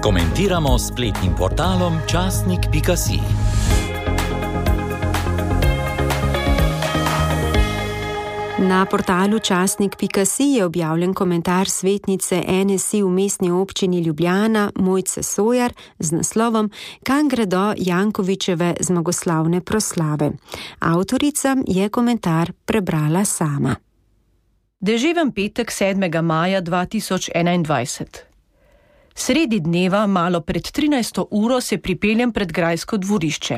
Komentiramo s spletnim portalom časnik.si. Na portalu časnik.si je objavljen komentar svetnice NSI v mestni občini Ljubljana Mojce Sojar z naslovom Kam gredo Jankovićeve zmagoslavne proslave. Avtorica je komentar prebrala sama. Deževen petek 7. maja 2021. Sredi dneva, malo pred 13. uro, se pripeljem pred grajsko dvorišče.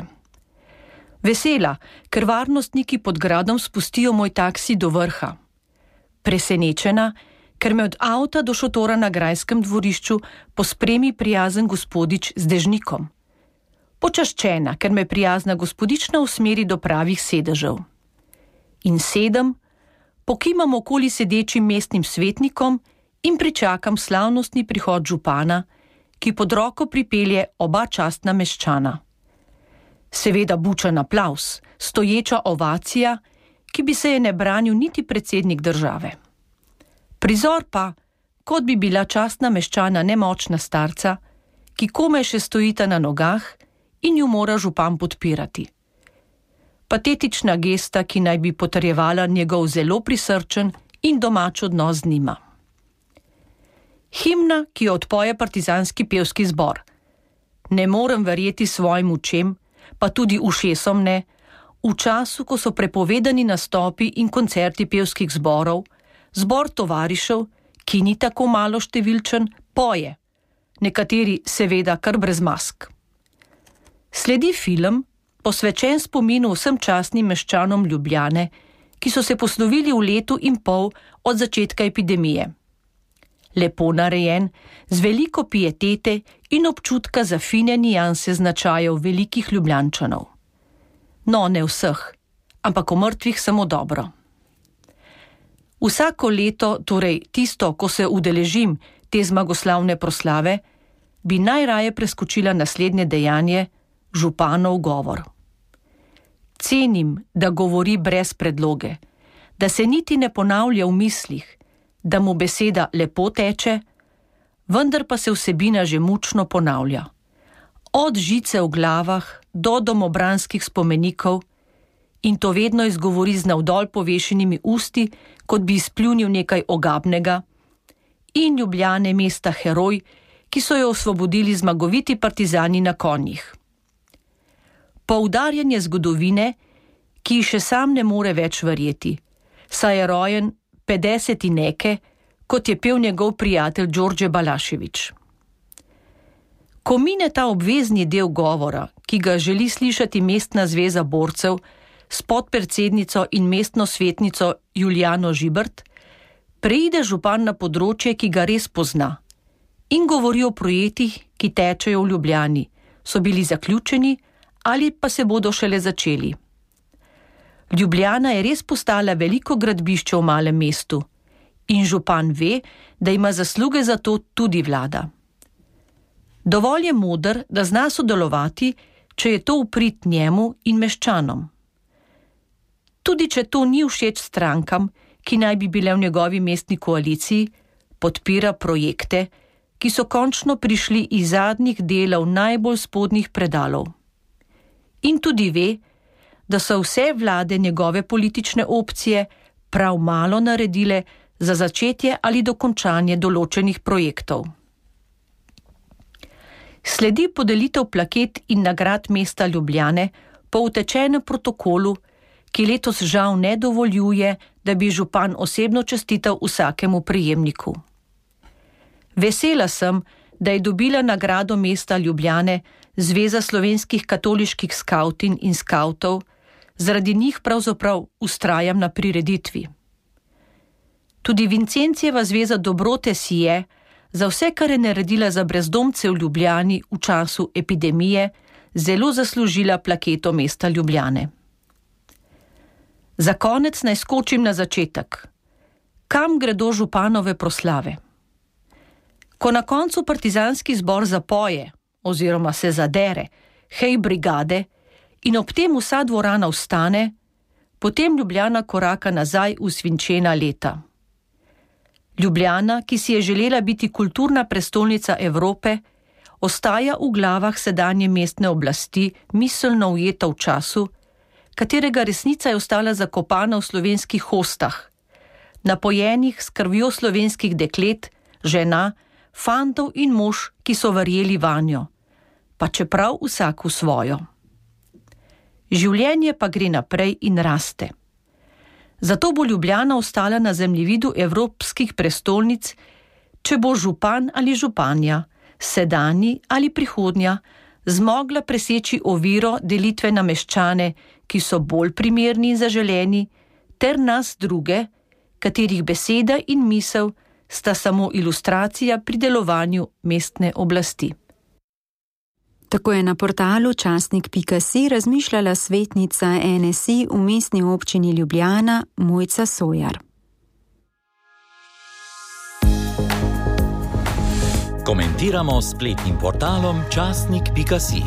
Vesela, ker varnostniki pod gradom spustijo moj taksi do vrha. Presenečena, ker me od avta do šotora na grajskem dvorišču pospremi prijazen gospodič z dežnikom. Počaščena, ker me prijazna gospodična usmeri do pravih sedežev. In sedem, pokimam okoli sedečim mestnim svetnikom in pričakam slavnostni prihod župana, ki pod roko pripelje oba častna meščana. Seveda bučan aplavz, stoječa ovacija, ki bi se je ne branil niti predsednik države. Prizor pa, kot bi bila častna meščana nemočna starca, ki komaj še stojita na nogah in ju mora župan podpirati. Patetična gesta, ki naj bi potrjevala njegov zelo prisrčen in domač odnos z njima. Himna, ki jo odpoje partizanski pevski zbor. Ne morem verjeti svojim očem, pa tudi ušesom ne, v času, ko so prepovedani nastopi in koncerti pevskih zborov, zbor tovarišev, ki ni tako malo številčen, poje, nekateri seveda kar brez mask. Sledi film, posvečen spominu vsem častnim meščanom Ljubljane, ki so se poslovili v letu in pol od začetka epidemije. Lepo narejen, z veliko pietete in občutka za fine nijanse značajev velikih Ljubljančanov. No, ne vseh, ampak o mrtvih samo dobro. Vsako leto, torej tisto, ko se udeležim te zmagoslavne proslave, bi najraje preskočila naslednje dejanje, županov govor. Cenim, da govori brez predloge, da se niti ne ponavlja v mislih, da mu beseda lepo teče, vendar pa se vsebina že mučno ponavlja. Od žice v glavah do domobranskih spomenikov, in to vedno izgovori z navdol povešenimi usti, kot bi izpljunil nekaj ogabnega, in Ljubljane mesta heroj, ki so jo osvobodili zmagoviti partizani na konjih. Poudarjanje zgodovine, ki še sam ne more več verjeti, saj je rojen 50 neke, kot je pel njegov prijatelj Đorđe Balašević. Ko mine ta obvezni del govora, ki ga želi slišati mestna zveza borcev s podpredsednico in mestno svetnico Julijano Žibert, preide župan na področje, ki ga res pozna, in govori o projektih, ki tečejo v Ljubljani, so bili zaključeni ali pa se bodo šele začeli. Ljubljana je res postala veliko gradbišče v malem mestu in župan ve, da ima zasluge za to tudi vlada. Dovolj je moder, da zna sodelovati, če je to v prid njemu in meščanom. Tudi če to ni všeč strankam, ki naj bi bile v njegovi mestni koaliciji, podpira projekte, ki so končno prišli iz zadnjih delov najbolj spodnjih predalov. In tudi ve, da so vse vlade njegove politične opcije prav malo naredile za začetje ali dokončanje določenih projektov. Sledi podelitev plaket in nagrad mesta Ljubljane po utečenem protokolu, ki letos žal ne dovoljuje, da bi župan osebno čestital vsakemu prejemniku. Vesela sem, da je dobila nagrado mesta Ljubljane Zveza slovenskih katoliških skavtin in skavtov, zaradi njih pravzaprav vztrajam na prireditvi. Tudi Vincencijeva zveza dobrote si je, za vse, kar je naredila za brezdomce v Ljubljani v času epidemije, zelo zaslužila plaketo mesta Ljubljane. Za konec naj skočim na začetek. Kam gredo županove proslave? Ko na koncu partizanski zbor zapoje oziroma se zadere, hej brigade, in ob tem vsa dvorana vstane, potem Ljubljana koraka nazaj v svinčena leta. Ljubljana, ki si je želela biti kulturna prestolnica Evrope, ostaja v glavah sedanje mestne oblasti miselno ujeta v času, katerega resnica je ostala zakopana v slovenskih hostah, napojenih s krvjo slovenskih deklet, žena, fantov in mož, ki so verjeli vanjo, pa čeprav vsak v svojo. Življenje pa gre naprej in raste. Zato bo Ljubljana ostala na zemljevidu evropskih prestolnic, če bo župan ali županja, sedanji ali prihodnja, zmogla preseči oviro delitve na meščane, ki so bolj primerni in zaželeni, ter nas druge, katerih beseda in misel sta samo ilustracija pri delovanju mestne oblasti. Tako je na portalu časnik.si razmišljala svetnica NSI v mestni občini Ljubljana Mojca Sojar. Komentiramo s spletnim portalom časnik.si.